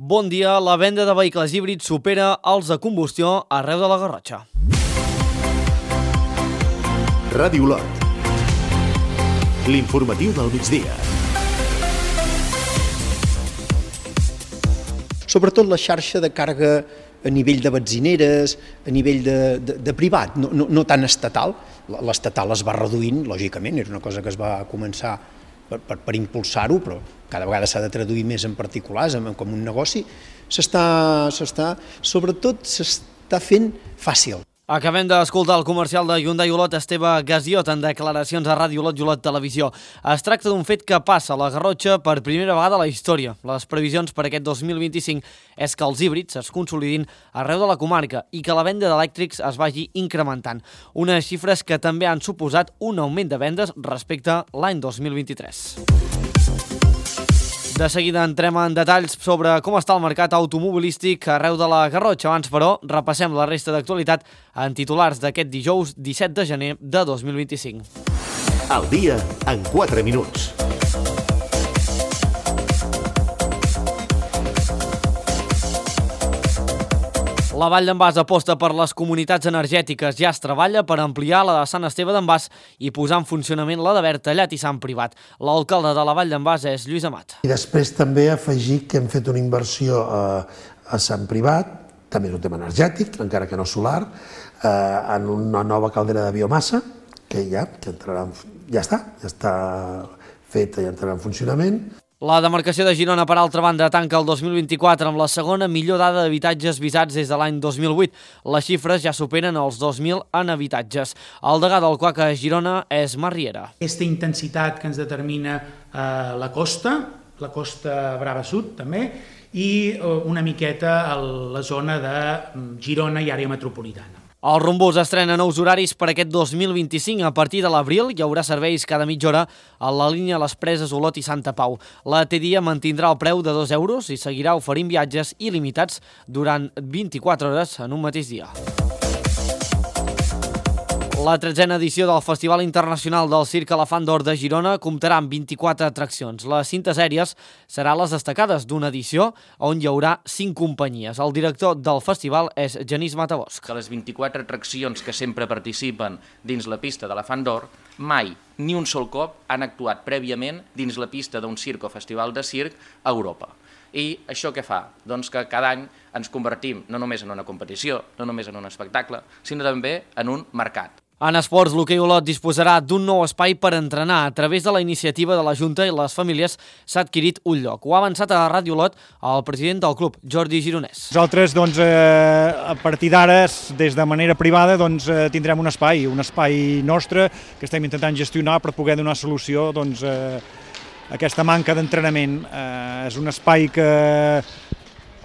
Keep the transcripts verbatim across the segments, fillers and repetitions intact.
Bon dia, la venda de vehicles híbrids supera els de combustió arreu de la Garrotxa. Ràdio Olot. L'informatiu del migdia. Sobretot la xarxa de càrrega a nivell de benzineres, a nivell de, de, de privat, no, no, no tan estatal. L'estatal es va reduint, lògicament, era una cosa que es va començar per, per, per impulsar-ho, però cada vegada s'ha de traduir més en particulars, com un negoci. S'està, s'està, sobretot s'està fent fàcil. Acabem d'escoltar el comercial de Hyundai Olot, Esteve Gaziot, en declaracions a Ràdio Olot i Olot Televisió. Es tracta d'un fet que passa a la Garrotxa per primera vegada a la història. Les previsions per aquest dos mil vint-i-cinc és que els híbrids es consolidin arreu de la comarca i que la venda d'elèctrics es vagi incrementant. Unes xifres que també han suposat un augment de vendes respecte a l'any dos mil vint-i-tres. De seguida entrem en detalls sobre com està el mercat automobilístic arreu de la Garrotxa. Abans, però, repassem la resta d'actualitat en titulars d'aquest dijous disset de gener de dos mil vint-i-cinc. El dia en quatre minuts. La Vall d'en Bas aposta per les comunitats energètiques. Ja es treballa per ampliar la de Sant Esteve d'en Bas i posar en funcionament la de Bertallat i Sant Privat. L'alcalde de la Vall d'en Bas és Lluís Amat. I després també afegir que hem fet una inversió a, a Sant Privat, també és un tema energètic, encara que no solar, eh, en una nova caldera de biomassa, que ja, que entrarà, ja està, ja està feta i entrarà en funcionament. La demarcació de Girona, per altra banda, tanca el dos mil vint-i-quatre amb la segona millor dada d'habitatges visats des de l'any dos mil vuit. Les xifres ja superen els dos mil en habitatges. El degà del C U A C a Girona és Marc Riera. Aquesta intensitat que ens determina eh, la costa, la costa Brava Sud també, i eh, una miqueta a la zona de Girona i àrea metropolitana. El Rumbús estrena nous horaris per aquest dos mil vint-i-cinc. A partir de l'abril hi haurà serveis cada mitja hora a la línia Les Preses, Olot i Santa Pau. La T-Dia mantindrà el preu de dos euros i seguirà oferint viatges il·limitats durant vint-i-quatre hores en un mateix dia. La tretzena edició del Festival Internacional del Circ Elefant d'Or de Girona comptarà amb vint-i-quatre atraccions. Les cintes aèries seran les destacades d'una edició on hi haurà cinc companyies. El director del festival és Genís Matabosc. Que les vint-i-quatre atraccions que sempre participen dins la pista de l'Elefant d'Or mai, ni un sol cop, han actuat prèviament dins la pista d'un circ o festival de circ a Europa. I això què fa? Doncs que cada any ens convertim no només en una competició, no només en un espectacle, sinó també en un mercat. En esports, l'hoquei Olot disposarà d'un nou espai per entrenar. A través de la iniciativa de la Junta i les famílies s'ha adquirit un lloc. Ho ha avançat a Ràdio Olot el president del club, Jordi Gironès. Nosaltres, doncs, eh, a partir d'ara, des de manera privada, doncs, eh, tindrem un espai, un espai nostre que estem intentant gestionar per poder donar solució doncs, eh, a aquesta manca d'entrenament. Eh, és un espai que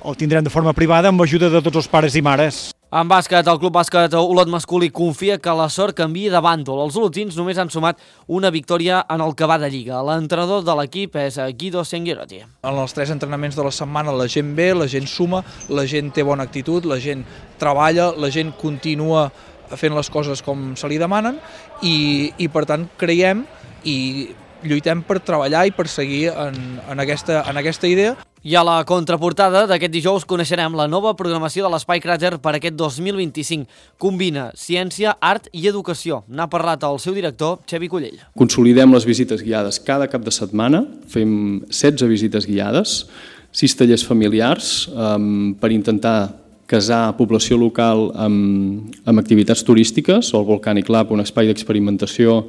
el tindrem de forma privada amb ajuda de tots els pares i mares. En bàsquet, el club bàsquet Olot masculí confia que la sort canviï de bàndol. Els olotins només han sumat una victòria en el que va de Lliga. L'entrenador de l'equip és Guido Senguerotti. En els tres entrenaments de la setmana la gent ve, la gent suma, la gent té bona actitud, la gent treballa, la gent continua fent les coses com se li demanen i, i per tant creiem i lluitem per treballar i per seguir en, en, aquesta, en aquesta idea. I a la contraportada d'aquest dijous coneixerem la nova programació de l'Espai Cràter per aquest dos mil vint-i-cinc. Combina ciència, art i educació. N'ha parlat el seu director, Xevi Collell. Consolidem les visites guiades cada cap de setmana, fem setze visites guiades, sis tallers familiars um, per intentar casar població local amb, amb activitats turístiques, o el Volcanic Lab, un espai d'experimentació.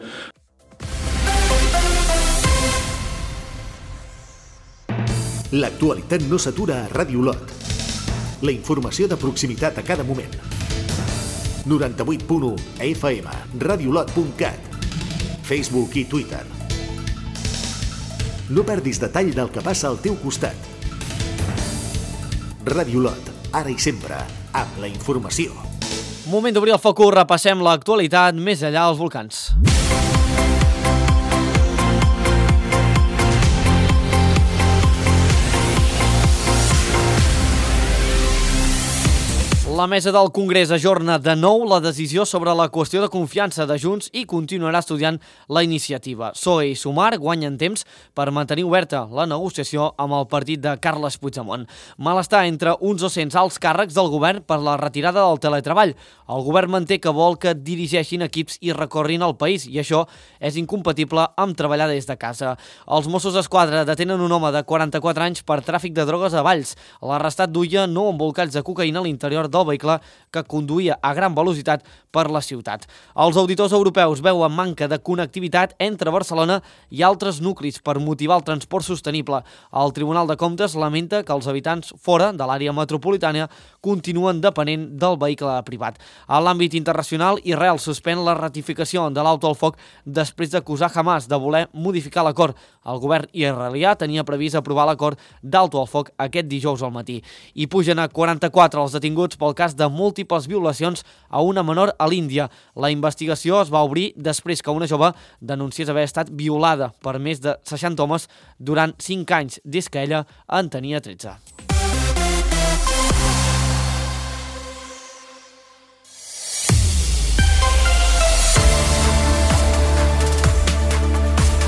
L'actualitat no s'atura a Ràdio Olot. La informació de proximitat a cada moment. noranta-vuit punt u F M, radiolot punt cat, Facebook i Twitter. No perdis detall del que passa al teu costat. Ràdio Olot, ara i sempre, amb la informació. Moment d'obrir el focus, repassem l'actualitat més enllà dels volcans. La mesa del Congrés ajorna de nou la decisió sobre la qüestió de confiança de Junts i continuarà estudiant la iniciativa. P S O E i Sumar guanyen temps per mantenir oberta la negociació amb el partit de Carles Puigdemont. Malestar entre uns dos-cents alts càrrecs del govern per la retirada del teletreball. El govern manté que vol que dirigeixin equips i recorrin el país i això és incompatible amb treballar des de casa. Els Mossos d'Esquadra detenen un home de quaranta-quatre anys per tràfic de drogues a Valls. L'arrestat duia nou embolcalls de cocaïna a l'interior del vehicle que conduïa a gran velocitat per la ciutat. Els auditors europeus veuen manca de connectivitat entre Barcelona i altres nuclis per motivar el transport sostenible. El Tribunal de Comptes lamenta que els habitants fora de l'àrea metropolitana continuen depenent del vehicle privat. A l'àmbit internacional, Israel suspèn la ratificació de l'alto al foc després d'acusar Hamas de voler modificar l'acord. El govern israelià tenia previst aprovar l'acord d'alto al foc aquest dijous al matí. I pugen a quaranta-quatre els detinguts pel cas de múltiples violacions a una menor a l'Índia. La investigació es va obrir després que una jove denunciés haver estat violada per més de seixanta homes durant cinc anys, des que ella en tenia tretze.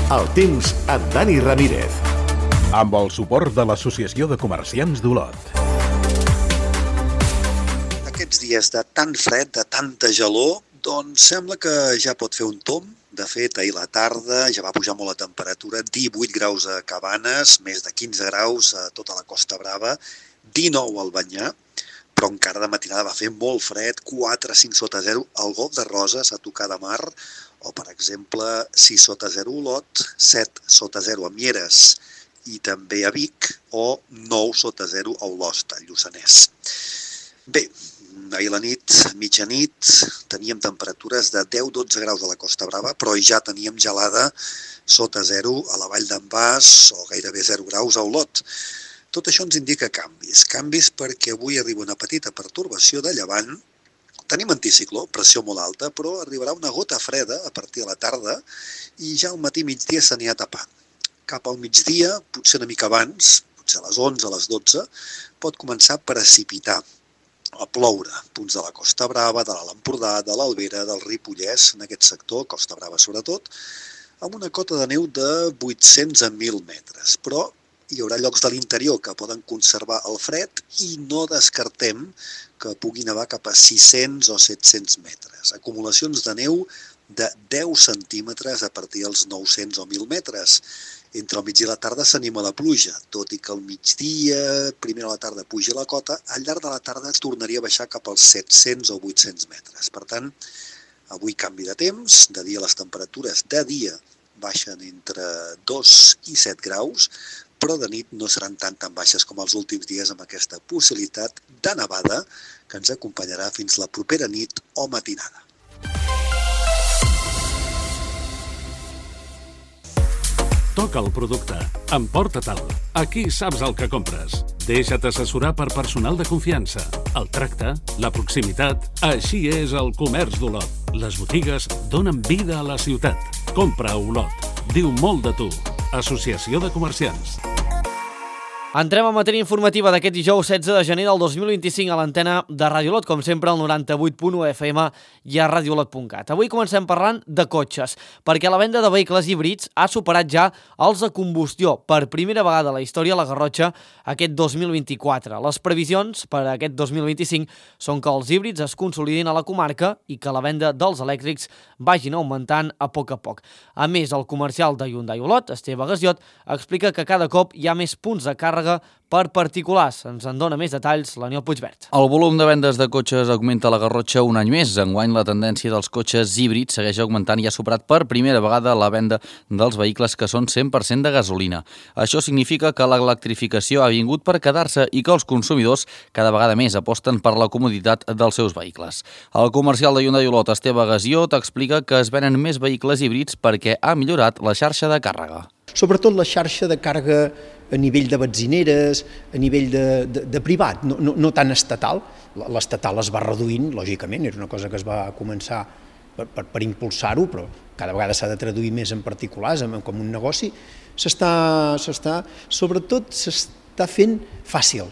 El temps amb Dani Ramírez. Amb el suport de l'Associació de Comerciants d'Olot. Aquests dies de tant fred, de tanta gelor, doncs sembla que ja pot fer un tomb. De fet, ahir a la tarda ja va pujar molt la temperatura, divuit graus a Cabanes, més de quinze graus a tota la Costa Brava, dinou al Banyà, però encara de matinada va fer molt fred, quatre a cinc sota zero al Golf de Roses, a tocar de mar, o per exemple sis sota zero a Olot, set sota zero a Mieres i també a Vic, o nou sota zero a Olost, al Lluçanès. Bé, ahir a la nit, mitjanit, teníem temperatures de deu a dotze graus a la Costa Brava, però ja teníem gelada sota zero a la Vall d'en Bas o gairebé zero graus a Olot. Tot això ens indica canvis. Canvis perquè avui arriba una petita pertorbació de llevant. Tenim anticicló, pressió molt alta, però arribarà una gota freda a partir de la tarda i ja al matí migdia s'anirà tapant. Cap al migdia, potser una mica abans, potser a les onze, a les dotze, pot començar a precipitar, a ploure. Punts de la Costa Brava, de l'Alt Empordà, de l'Albera, del Ripollès, en aquest sector, Costa Brava sobretot, amb una cota de neu de vuit-cents a mil metres. Però hi haurà llocs de l'interior que poden conservar el fred i no descartem que pugui nevar cap a sis-cents o set-cents metres. Acumulacions de neu de deu centímetres a partir dels nou-cents o mil metres. Entre el migdia i la tarda s'anima la pluja, tot i que al migdia, primer a la tarda puja la cota, al llarg de la tarda tornaria a baixar cap als set-cents o vuit-cents metres. Per tant, avui canvi de temps, de dia les temperatures de dia baixen entre dos i set graus, però de nit no seran tan tan baixes com els últims dies amb aquesta possibilitat de nevada que ens acompanyarà fins la propera nit o matinada. Toca el producte. Emporta-te'l. Aquí saps el que compres. Deixa't assessorar per personal de confiança. El tracte, la proximitat... Així és el comerç d'Olot. Les botigues donen vida a la ciutat. Compra a Olot. Diu molt de tu. Associació de Comerciants. Entrem a matèria informativa d'aquest dijous setze de gener del dos mil vint-i-cinc a l'antena de Ràdio Olot, com sempre al noranta-vuit punt u F M i a radiolot punt cat. Avui comencem parlant de cotxes, perquè la venda de vehicles híbrids ha superat ja els de combustió per primera vegada a la història a la Garrotxa aquest dos mil vint-i-quatre. Les previsions per a aquest dos mil vint-i-cinc són que els híbrids es consolidin a la comarca i que la venda dels elèctrics vagin augmentant a poc a poc. A més, el comercial de Hyundai Olot, Esteve Gasiot, explica que cada cop hi ha més punts de càrrega per particulars. Ens en dona més detalls l'Aniol Puigvert. El volum de vendes de cotxes augmenta a la Garrotxa un any més. Enguany la tendència dels cotxes híbrids segueix augmentant i ha superat per primera vegada la venda dels vehicles que són cent per cent de gasolina. Això significa que l'electrificació ha vingut per quedar-se i que els consumidors cada vegada més aposten per la comoditat dels seus vehicles. El comercial de Hyundai Olot, Esteve Gasiot, explica que es venen més vehicles híbrids perquè ha millorat la xarxa de càrrega. Sobretot la xarxa de càrrega a nivell de benzineres, a nivell de, de, de privat, no, no, no tan estatal. L'estatal es va reduint, lògicament, era una cosa que es va començar per, per, per impulsar-ho, però cada vegada s'ha de traduir més en particulars, com un negoci. S'està, s'està, sobretot s'està fent fàcil.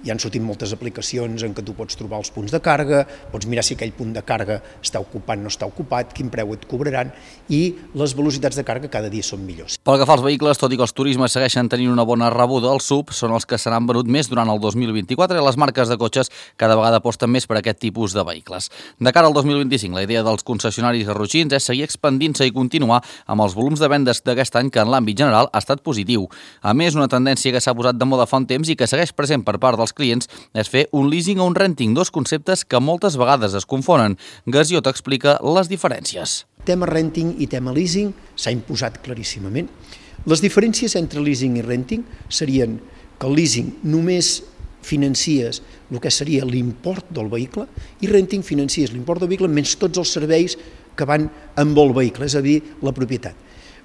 hi han sortit moltes aplicacions en què tu pots trobar els punts de càrrega, pots mirar si aquell punt de càrrega està ocupat o no està ocupat, quin preu et cobraran, i les velocitats de càrrega cada dia són millors. Pel que fa als vehicles, tot i que els turismes segueixen tenint una bona rebuda, els S U V són els que seran venut més durant el dos mil vint-i-quatre i les marques de cotxes cada vegada aposten més per aquest tipus de vehicles. De cara al dos mil vint-i-cinc, la idea dels concessionaris garrotxins és seguir expandint-se i continuar amb els volums de vendes d'aquest any, que en l'àmbit general ha estat positiu. A més, una tendència que s'ha posat de moda fa un temps i que segueix present per part dels clients és fer un leasing o un renting, dos conceptes que moltes vegades es confonen. Gasiot explica les diferències. Tema renting i tema leasing s'ha imposat claríssimament. Les diferències entre leasing i renting serien que el leasing només financies el que seria l'import del vehicle i renting financies l'import del vehicle menys tots els serveis que van amb el vehicle, és a dir, la propietat.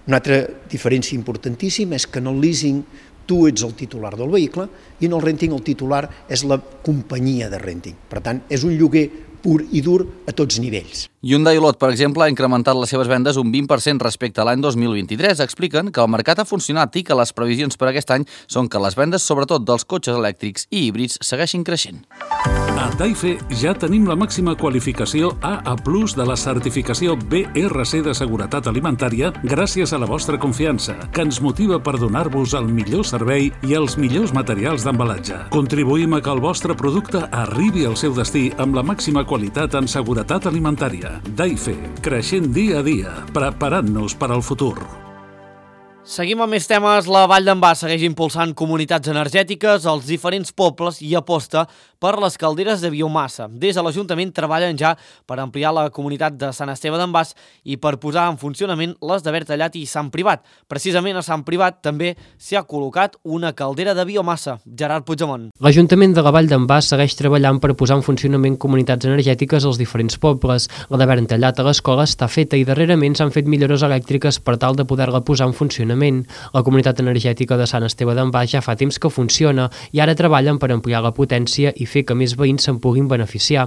Una altra diferència importantíssima és que en el leasing tu ets el titular del vehicle i en el renting el titular és la companyia de renting. Per tant, és un lloguer pur i dur a tots nivells. Hyundai Olot, per exemple, ha incrementat les seves vendes un vint per cent respecte a l'any dos mil vint-i-tres. Expliquen que el mercat ha funcionat i que les previsions per aquest any són que les vendes, sobretot dels cotxes elèctrics i híbrids, segueixin creixent. A Daife ja tenim la màxima qualificació A A plus de la certificació B R C de seguretat alimentària gràcies a la vostra confiança, que ens motiva per donar-vos el millor servei i els millors materials d'embalatge. Contribuïm a que el vostre producte arribi al seu destí amb la màxima qualitat en seguretat alimentària. Daife, creixent dia a dia, preparant-nos per al futur. Seguim amb més temes. La Vall d'en Bas segueix impulsant comunitats energètiques als diferents pobles i aposta per les calderes de biomassa. Des de l'Ajuntament treballen ja per ampliar la comunitat de Sant Esteve d'en Bas i per posar en funcionament les de Bertallat i Sant Privat. Precisament a Sant Privat també s'hi ha col·locat una caldera de biomassa. Gerard Puigdemont. L'Ajuntament de la Vall d'en Bas segueix treballant per posar en funcionament comunitats energètiques als diferents pobles. La de Bertallat a l'escola està feta i darrerament s'han fet millores elèctriques per tal de poder-la posar en funcionament. La comunitat energètica de Sant Esteve d'en Bas ja fa temps que funciona i ara treballen per ampliar la potència i fer que més veïns se'n puguin beneficiar.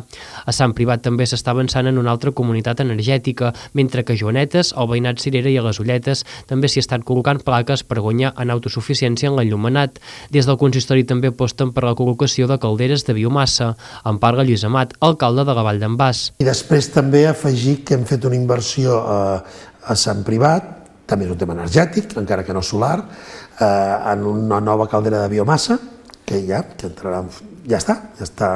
A Sant Privat també s'està avançant en una altra comunitat energètica, mentre que a Joanetes, al veïnat Cirera i a les Ulletes també s'hi estan col·locant plaques per guanyar en autosuficiència en l'enllumenat. Des del consistori també aposten per la col·locació de calderes de biomassa. En parla Lluís Amat, alcalde de la Vall d'en Bas. I després també afegir que hem fet una inversió a, a Sant Privat, també és un tema energètic, encara que no solar, eh, en una nova caldera de biomassa, que ja, que entrarà, ja està, ja està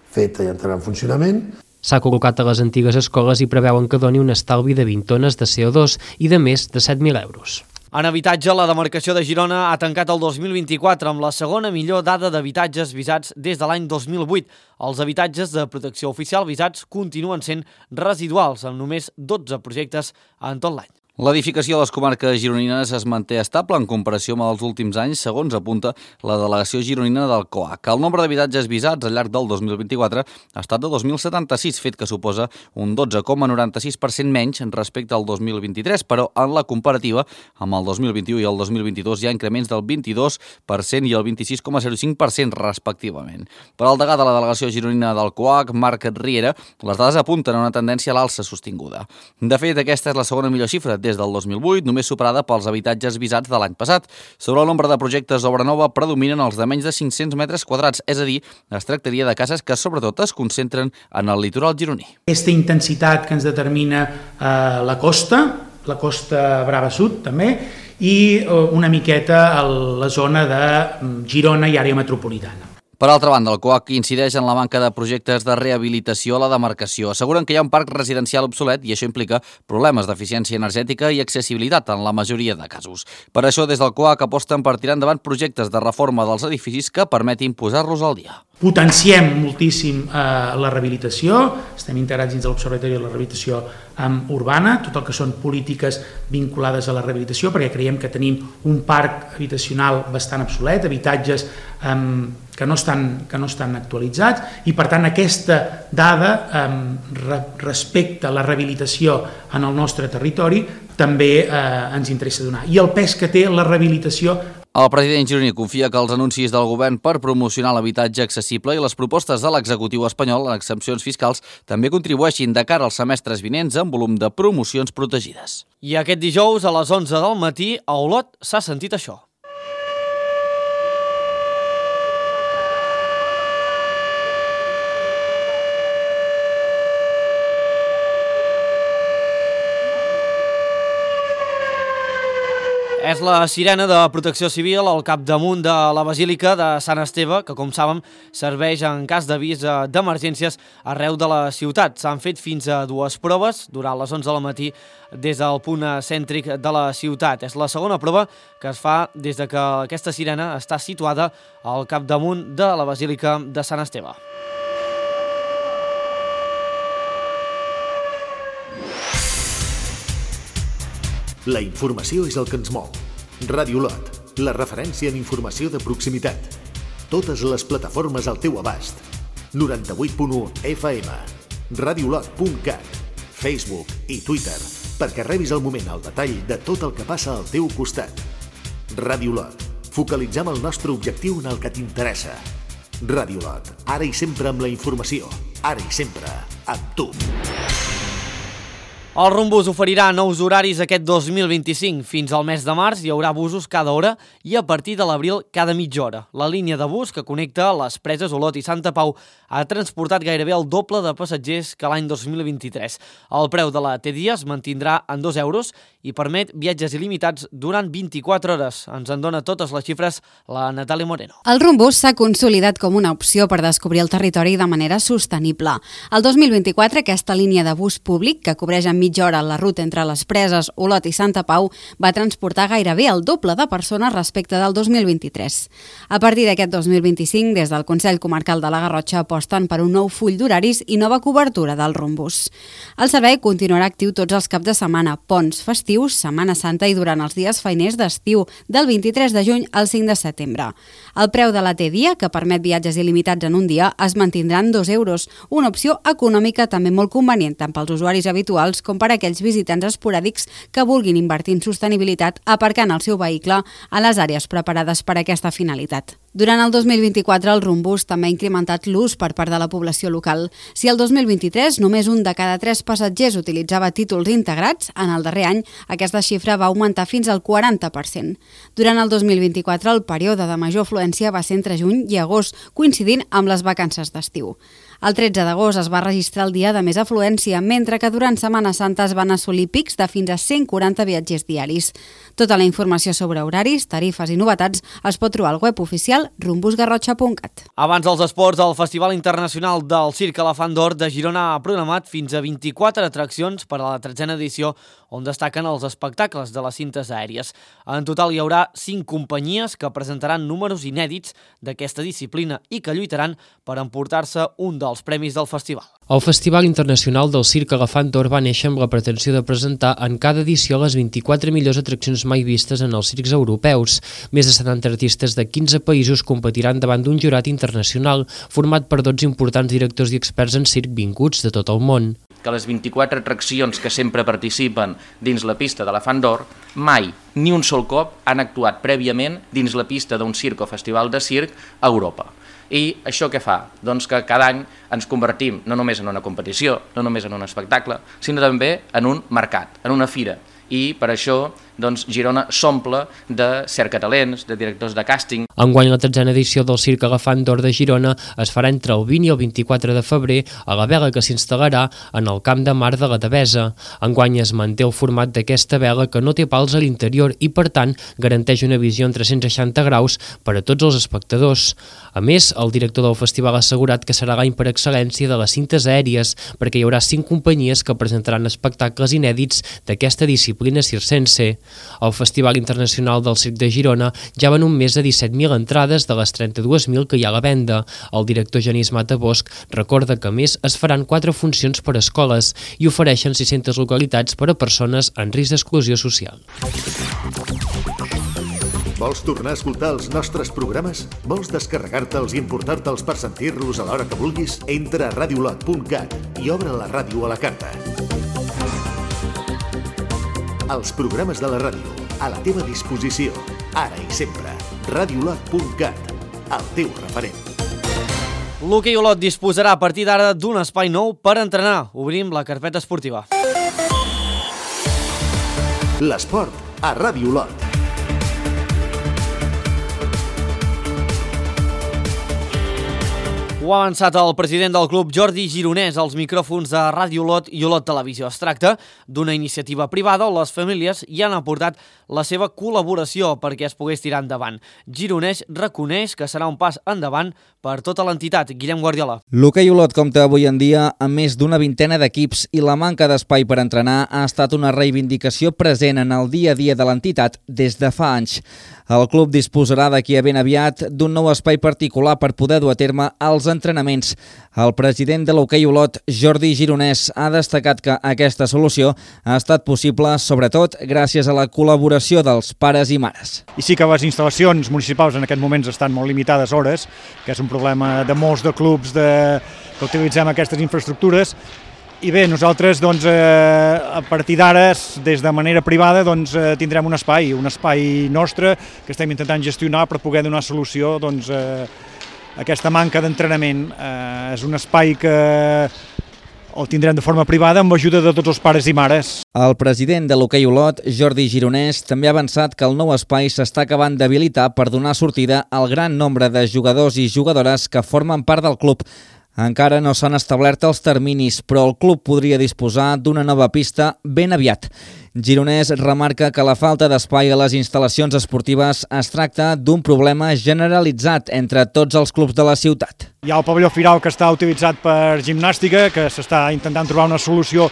feta i entrarà en funcionament. S'ha col·locat a les antigues escoles i preveuen que doni un estalvi de vint tones de C O dos i de més de set mil euros. En habitatge, la demarcació de Girona ha tancat el dos mil vint-i-quatre amb la segona millor dada d'habitatges visats des de l'any dos mil vuit. Els habitatges de protecció oficial visats continuen sent residuals, amb només dotze projectes en tot l'any. L'edificació de les comarques gironines es manté estable en comparació amb els últims anys, segons apunta la delegació gironina del C O A C. El nombre d'habitatges visats al llarg del dos mil vint-i-quatre ha estat de dos mil setanta-sis, fet que suposa un dotze coma noranta-sis per cent menys respecte al dos mil vint-i-tres, però en la comparativa amb el dos mil vint-i-u i el dos mil vint-i-dos hi ha increments del vint-i-dos per cent i el vint-i-sis coma zero cinc per cent respectivament. Per al degà de la delegació gironina del C O A C, Marc Riera, les dades apunten a una tendència a l'alça sostinguda. De fet, aquesta és la segona millor xifra des del dos mil vuit, només superada pels habitatges visats de l'any passat. Sobre el nombre de projectes d'obra nova predominen els de menys de cinc-cents metres quadrats, és a dir, es tractaria de cases que sobretot es concentren en el litoral gironí. Aquesta intensitat que ens determina eh, la costa, la costa Brava Sud també, i eh, una miqueta a la zona de Girona i àrea metropolitana. Per altra banda, el C O A C incideix en la manca de projectes de rehabilitació a la demarcació. Asseguren que hi ha un parc residencial obsolet i això implica problemes d'eficiència energètica i accessibilitat en la majoria de casos. Per això, des del C O A C aposten per tirar endavant projectes de reforma dels edificis que permetin posar-los al dia. Potenciem moltíssim eh, la rehabilitació, estem integrats dins de l'Observatori de la Rehabilitació eh, Urbana, tot el que són polítiques vinculades a la rehabilitació, perquè creiem que tenim un parc habitacional bastant obsolet, habitatges eh, que, no estan, que no estan actualitzats, i per tant aquesta dada eh, re, respecte a la rehabilitació en el nostre territori també eh, ens interessa donar. I el pes que té la rehabilitació. El president gironí confia que els anuncis del govern per promocionar l'habitatge accessible i les propostes de l'executiu espanyol en exempcions fiscals també contribueixin de cara als semestres vinents en volum de promocions protegides. I aquest dijous a les onze del matí a Olot s'ha sentit això. És la sirena de protecció civil al capdamunt de la Basílica de Sant Esteve, que, com saben, serveix en cas d'avís d'emergències arreu de la ciutat. S'han fet fins a dues proves durant les onze del matí des del punt cèntric de la ciutat. És la segona prova que es fa des de que aquesta sirena està situada al capdamunt de la Basílica de Sant Esteve. La informació és el que ens mou. Ràdio Lot, la referència en informació de proximitat. Totes les plataformes al teu abast. noranta-vuit punt u F M, radiolot punt cat, Facebook i Twitter, perquè rebis al moment el detall de tot el que passa al teu costat. Ràdio Lot, focalitzem el nostre objectiu en el que t'interessa. Ràdio Lot, ara i sempre amb la informació, ara i sempre amb tu. El Rumbus oferirà nous horaris aquest dos mil vint-i-cinc. Fins al mes de març hi haurà busos cada hora i a partir de l'abril cada mitja hora. La línia de bus que connecta les preses Olot i Santa Pau ha transportat gairebé el doble de passatgers que l'any dos mil vint-i-tres. El preu de la T-Dia es mantindrà en dos euros i permet viatges il·limitats durant vint-i-quatre hores. Ens en dona totes les xifres la Natàlia Moreno. El Rumbus s'ha consolidat com una opció per descobrir el territori de manera sostenible. El dos mil vint-i-quatre aquesta línia de bus públic, que cobreix en mitja hora la ruta entre les preses Olot i Santa Pau, va transportar gairebé el doble de persones respecte del dos mil vint-i-tres. A partir d'aquest dos mil vint-i-cinc, des del Consell Comarcal de la Garrotxa aposten per un nou full d'horaris i nova cobertura del Rumbus. El servei continuarà actiu tots els caps de setmana, ponts, festius, Setmana Santa i durant els dies feiners d'estiu, del vint-i-tres de juny al cinc de setembre. El preu de la T-Dia, que permet viatges il·limitats en un dia, es mantindrà en dos euros, una opció econòmica també molt convenient tant pels usuaris habituals com per aquells visitants esporàdics que vulguin invertir en sostenibilitat aparcant el seu vehicle a les àrees preparades per a aquesta finalitat. Durant el dos mil vint-i-quatre, el Rumbus també ha incrementat l'ús per part de la població local. Si el dos mil vint-i-tres només un de cada tres passatgers utilitzava títols integrats, en el darrer any aquesta xifra va augmentar fins al quaranta per cent. Durant el dos mil vint-i-quatre, el període de major afluència va ser entre juny i agost, coincidint amb les vacances d'estiu. El tretze d'agost es va registrar el dia de més afluència, mentre que durant Setmana Santa es van assolir pics de fins a cent quaranta viatgers diaris. Tota la informació sobre horaris, tarifes i novetats es pot trobar al web oficial rumbus garrotxa punt cat. Abans dels esports, el Festival Internacional del Circ Elefant d'Or de Girona ha programat fins a vint-i-quatre atraccions per a la tretzena edició, on destaquen els espectacles de les cintes aèries. En total hi haurà cinc companyies que presentaran números inèdits d'aquesta disciplina i que lluitaran per emportar-se un dels premis del festival. El Festival Internacional del Circ Elefant d'Or va néixer amb la pretensió de presentar en cada edició les vint-i-quatre millors atraccions mai vistes en els circs europeus. Més de setanta artistes de quinze països competiran davant d'un jurat internacional format per dotze importants directors i experts en circ vinguts de tot el món. Que les vint-i-quatre atraccions que sempre participen dins la pista de l'Elefant d'Or mai, ni un sol cop, han actuat prèviament dins la pista d'un circ o festival de circ a Europa. I això què fa? Doncs que cada any ens convertim no només en una competició, no només en un espectacle, sinó també en un mercat, en una fira. I per això doncs, Girona s'omple de cercatalents, de directors de càsting. Enguany la tretzena edició del Circ Elefant d'Or de Girona es farà entre el vint i el vint-i-quatre de febrer a la vela que s'instal·larà en el Camp de Mar de la Devesa. Enguany es manté el format d'aquesta vela que no té pals a l'interior i per tant garanteix una visió en tres-cents seixanta graus per a tots els espectadors. A més, el director del festival ha assegurat que serà l'any per excel·lència de les cintes aèries perquè hi haurà cinc companyies que presentaran espectacles inèdits d'aquesta disciplina circense. El Festival Internacional del Circ de Girona ja ven un més de disset mil entrades de les trenta-dues mil que hi ha a la venda. El director Genís Matabosc recorda que a més es faran quatre funcions per a escoles i ofereixen sis-centes localitats per a persones en risc d'exclusió social. Vols tornar a escoltar els nostres programes? Vols descarregar-te'ls i importar-te'ls per sentir-los a l'hora que vulguis? Entra a radiolot punt cat i obre la ràdio a la carta. Els programes de la ràdio, a la teva disposició, ara i sempre. radiolot punt cat, el teu referent. L'Hoquei Olot disposarà a partir d'ara d'un espai nou per entrenar. Obrim la carpeta esportiva. L'esport a Ràdio Olot. Ho ha avançat el president del club, Jordi Gironès, als micròfons de Ràdio Olot i Olot Televisió. Es tracta d'una iniciativa privada on les famílies hi han aportat la seva col·laboració perquè es pogués tirar endavant. Gironès reconeix que serà un pas endavant per tota l'entitat. Guillem Guardiola. L'hoquei Olot compta avui en dia amb més d'una vintena d'equips i la manca d'espai per entrenar ha estat una reivindicació present en el dia a dia de l'entitat des de fa anys. El club disposarà d'aquí a ben aviat d'un nou espai particular per poder dur a terme els entrenaments. El president de l'hoquei Olot, Jordi Gironès, ha destacat que aquesta solució ha estat possible sobretot gràcies a la col·laboració dels pares i mares. I sí que les instal·lacions municipals en aquest moments estan molt limitades hores, que és un problema de molts de clubs de... que utilitzem aquestes infraestructures. I bé, nosaltres doncs, eh, a partir d'ara, des de manera privada, doncs, eh, tindrem un espai, un espai nostre que estem intentant gestionar per poder donar solució doncs, eh, a aquesta manca d'entrenament. Eh, és un espai que el tindrem de forma privada amb ajuda de tots els pares i mares. El president de l'hoquei Olot, Jordi Gironès, també ha avançat que el nou espai s'està acabant d'habilitar per donar sortida al gran nombre de jugadors i jugadores que formen part del club. Encara no s'han establert els terminis, però el club podria disposar d'una nova pista ben aviat. Gironès remarca que la falta d'espai a les instal·lacions esportives es tracta d'un problema generalitzat entre tots els clubs de la ciutat. Hi ha el pavelló Firal que està utilitzat per gimnàstica, que s'està intentant trobar una solució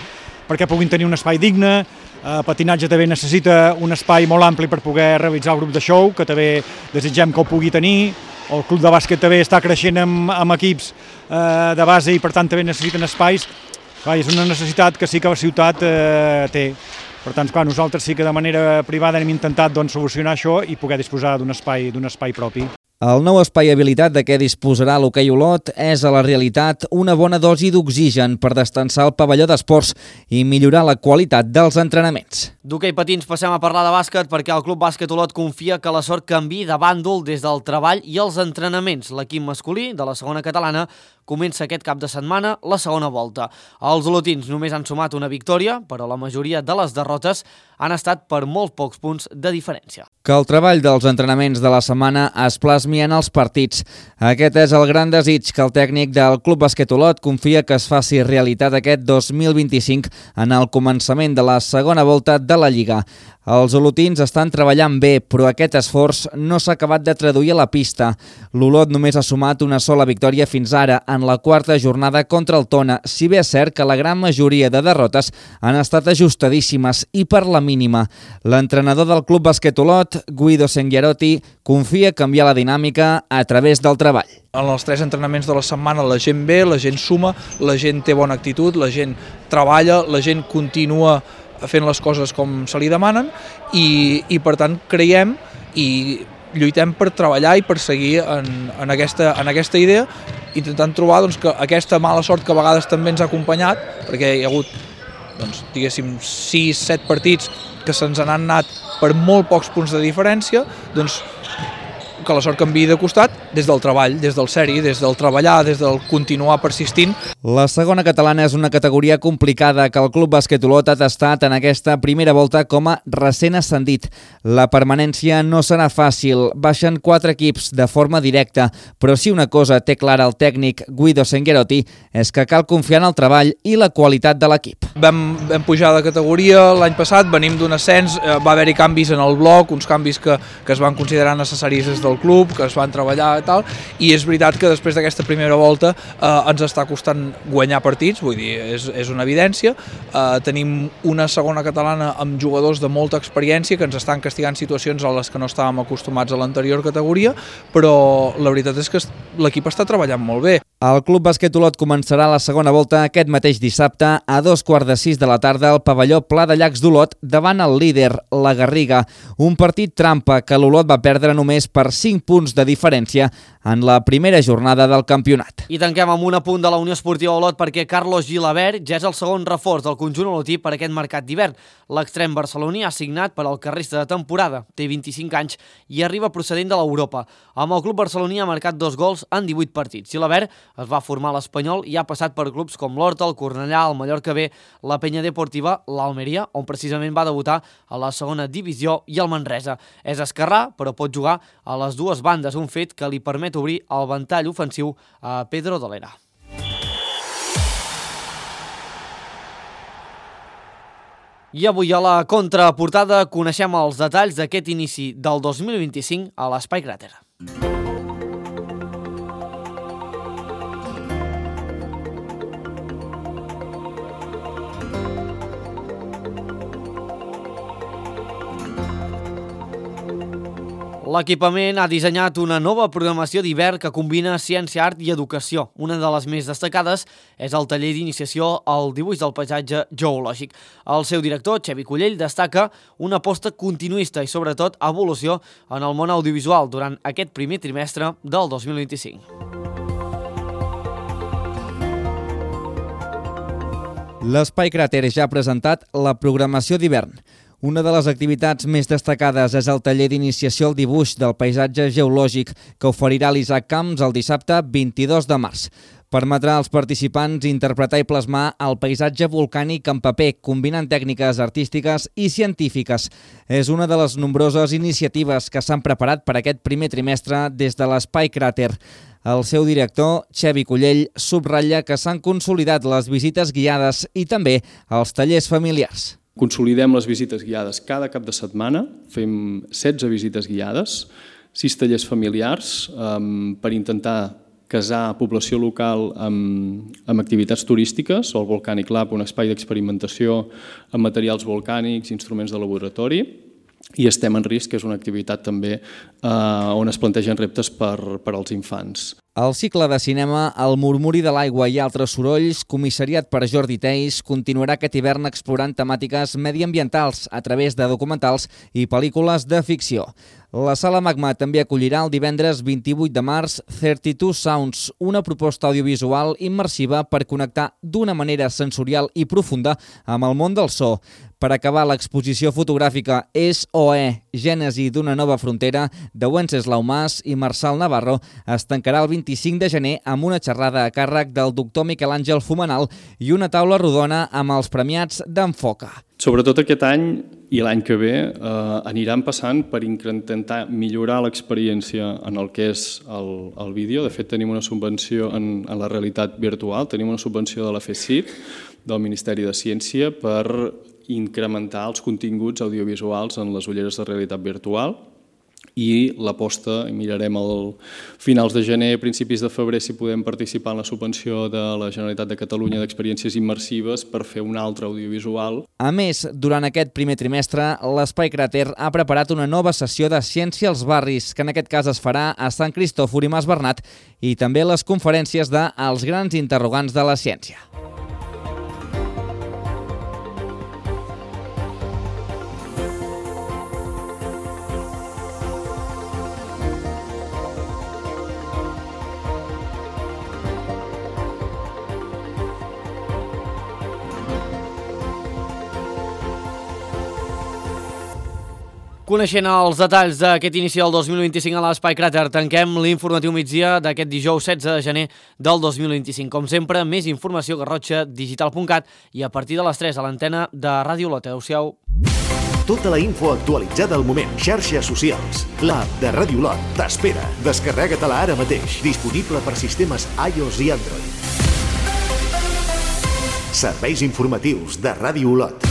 perquè puguin tenir un espai digne. El patinatge també necessita un espai molt ampli per poder realitzar el grup de show, que també desitgem que ho pugui tenir. El club de bàsquet també està creixent amb, amb equips eh, de base i per tant també necessiten espais. Clar, és una necessitat que sí que la ciutat eh, té. Per tant, clar, nosaltres sí que de manera privada hem intentat doncs, solucionar això i poder disposar d'un espai, d'un espai propi. El nou espai habilitat de què disposarà l'hoquei Olot és a la realitat una bona dosi d'oxigen per destensar el pavelló d'esports i millorar la qualitat dels entrenaments. D'hoquei patins passem a parlar de bàsquet perquè el Club Bàsquet Olot confia que la sort canviï de bàndol des del treball i els entrenaments. L'equip masculí de la segona catalana comença aquest cap de setmana la segona volta. Els olotins només han sumat una victòria, però la majoria de les derrotes han estat per molt pocs punts de diferència. Que el treball dels entrenaments de la setmana es plasmi en els partits. Aquest és el gran desig que el tècnic del Club Bàsquet Olot confia que es faci realitat aquest dos mil vint-i-cinc en el començament de la segona volta de la Lliga. Els olotins estan treballant bé, però aquest esforç no s'ha acabat de traduir a la pista. L'Olot només ha sumat una sola victòria fins ara, en la quarta jornada contra el Tona, si bé és cert que la gran majoria de derrotes han estat ajustadíssimes i per la mínima. L'entrenador del Club Bàsquet Olot, Guido Senghierotti, confia canviar la dinàmica a través del treball. En els tres entrenaments de la setmana la gent ve, la gent suma, la gent té bona actitud, la gent treballa, la gent continua fent les coses com se li demanen i, i per tant creiem i lluitem per treballar i per seguir en, en, aquesta, en aquesta idea, intentant trobar doncs, que aquesta mala sort que a vegades també ens ha acompanyat, perquè hi ha hagut doncs, diguéssim sis set partits que se'ns han anat per molt pocs punts de diferència, doncs que la sort canviï de costat des del treball, des del seri, des del treballar, des del continuar persistint. La segona catalana és una categoria complicada que el Club Bàsquet Olot ha tastat en aquesta primera volta com a recent ascendit. La permanència no serà fàcil, baixen quatre equips de forma directa, però si una cosa té clara el tècnic Guido Senghierotti és que cal confiar en el treball i la qualitat de l'equip. Vam, vam pujar de categoria l'any passat, venim d'un ascens, va haver-hi canvis en el bloc, uns canvis que, que es van considerar necessaris des del club, que es van treballar i tal, i és veritat que després d'aquesta primera volta eh, ens està costant guanyar partits, vull dir, és, és una evidència. Eh, tenim una segona catalana amb jugadors de molta experiència que ens estan castigant situacions a les que no estàvem acostumats a l'anterior categoria, però la veritat és que l'equip està treballant molt bé. El Club Bàsquet Olot començarà la segona volta aquest mateix dissabte a dos quarts de sis de la tarda al pavelló Pla de Llacs d'Olot davant el líder, la Garriga. Un partit trampa que l'Olot va perdre només per cinc punts de diferència en la primera jornada del campionat. I tanquem amb un apunt de la Unió Esportiva Olot perquè Carlos Gilabert ja és el segon reforç del conjunt olotí per aquest mercat d'hivern. L'extrem barceloní ha signat per al que resta de temporada, té vint-i-cinc anys i arriba procedent de l'Europa. Amb el club barceloní ha marcat dos gols en divuit partits. Gilabert es va formar a l'Espanyol i ha passat per clubs com l'Horta, el Cornellà, el Mallorca B, la Penya Deportiva, l'Almeria, on precisament va debutar a la segona divisió, i el Manresa. És esquerrà, però pot jugar a les dues bandes, un fet que li permet obrir el ventall ofensiu a Pedro Dolera. I avui a la contraportada coneixem els detalls d'aquest inici del dos mil vint-i-cinc a l'Espai Cràter. L'equipament ha dissenyat una nova programació d'hivern que combina ciència, art i educació. Una de les més destacades és el taller d'iniciació al dibuix del paisatge geològic. El seu director, Xavi Cullell, destaca una aposta continuista i, sobretot, evolució en el món audiovisual durant aquest primer trimestre del dos mil vint-i-cinc. L'Espai Cràter ja ha presentat la programació d'hivern. Una de les activitats més destacades és el taller d'iniciació al dibuix del paisatge geològic que oferirà l'Isaac Camps el dissabte vint-i-dos de març. Permetrà als participants interpretar i plasmar el paisatge volcànic en paper, combinant tècniques artístiques i científiques. És una de les nombroses iniciatives que s'han preparat per aquest primer trimestre des de l'Espai Cràter. El seu director, Xavi Cullell, subratlla que s'han consolidat les visites guiades i també els tallers familiars. Consolidem les visites guiades cada cap de setmana, fem setze visites guiades, sis tallers familiars um, per intentar casar població local amb, amb activitats turístiques, o el Volcanic Lab, un espai d'experimentació amb materials volcànics, instruments de laboratori, i Estem en risc, que és una activitat també eh, on es plantegen reptes per, per als infants. El cicle de cinema El murmuri de l'aigua i altres sorolls, comissariat per Jordi Teis, continuarà aquest hivern explorant temàtiques mediambientals a través de documentals i pel·lícules de ficció. La Sala Magma també acollirà el divendres vint-i-vuit de març trenta-dos Sounds, una proposta audiovisual immersiva per connectar d'una manera sensorial i profunda amb el món del so. Per acabar, l'exposició fotogràfica És o E, Gènesi d'una nova frontera, de Wenceslau Mas i Marçal Navarro, es tancarà el vint-i-cinc de gener amb una xerrada a càrrec del doctor Miquel Àngel Fumenal i una taula rodona amb els premiats d'Enfoca. Sobretot aquest any i l'any que ve eh, aniran passant per intentar millorar l'experiència en el que és el, el vídeo. De fet, tenim una subvenció en, en la realitat virtual, tenim una subvenció de la FECIT, del Ministeri de Ciència, per incrementar els continguts audiovisuals en les ulleres de realitat virtual, i l'aposta, mirarem al finals de gener, principis de febrer, si podem participar en la subvenció de la Generalitat de Catalunya d'experiències immersives per fer un altre audiovisual. A més, durant aquest primer trimestre, l'Espai Cràter ha preparat una nova sessió de Ciència als barris, que en aquest cas es farà a Sant Cristòfor i Mas Bernat, i també les conferències de Els grans interrogants de la ciència. Coneixent els detalls d'aquest inici del dos mil vint-i-cinc a l'Espai Cràter, tanquem l'informatiu migdia d'aquest dijous setze de gener del dos mil vint-i-cinc. Com sempre, més informació a garrotxa digital punt cat i a partir de les tres a l'antena de Ràdio Olot. Adéu-siau. Tota la info actualitzada al moment. Xarxes socials. L'app de Ràdio Olot t'espera. Descarrega-te-la ara mateix. Disponible per sistemes iOS i Android. Serveis informatius de Ràdio Olot.